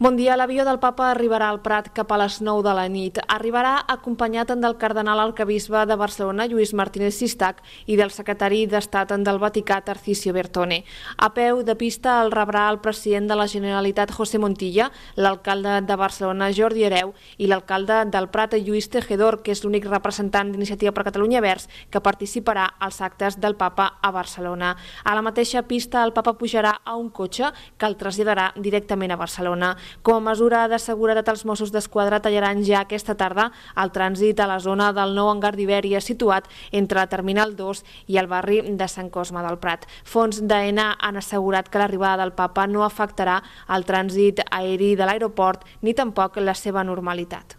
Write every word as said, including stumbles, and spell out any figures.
Bon dia. L'avió del papa arribarà al Prat cap a les nou de la nit. Arribarà acompanyat del cardenal arquebisbe de Barcelona, Lluís Martínez Sistac, i del secretari d'Estat del Vaticà, Tarcisio Bertone. A peu de pista el rebrà el president de la Generalitat, José Montilla, l'alcalde de Barcelona, Jordi Hereu, i l'alcalde del Prat, Lluís Tejedor, que és l'únic representant d'Iniciativa per Catalunya Verds que participarà als actes del papa a Barcelona. A la mateixa pista el papa pujarà a un cotxe que el traslladarà directament a Barcelona. Com a mesura de seguretat, els Mossos d'Esquadra tallaran ja aquesta tarda el trànsit a la zona del nou hangar d'Ibèria situat entre la Terminal dos i el barri de Sant Cosme del Prat. Fonts d'AENA han assegurat que l'arribada del papa no afectarà el trànsit aeri de l'aeroport ni tampoc la seva normalitat.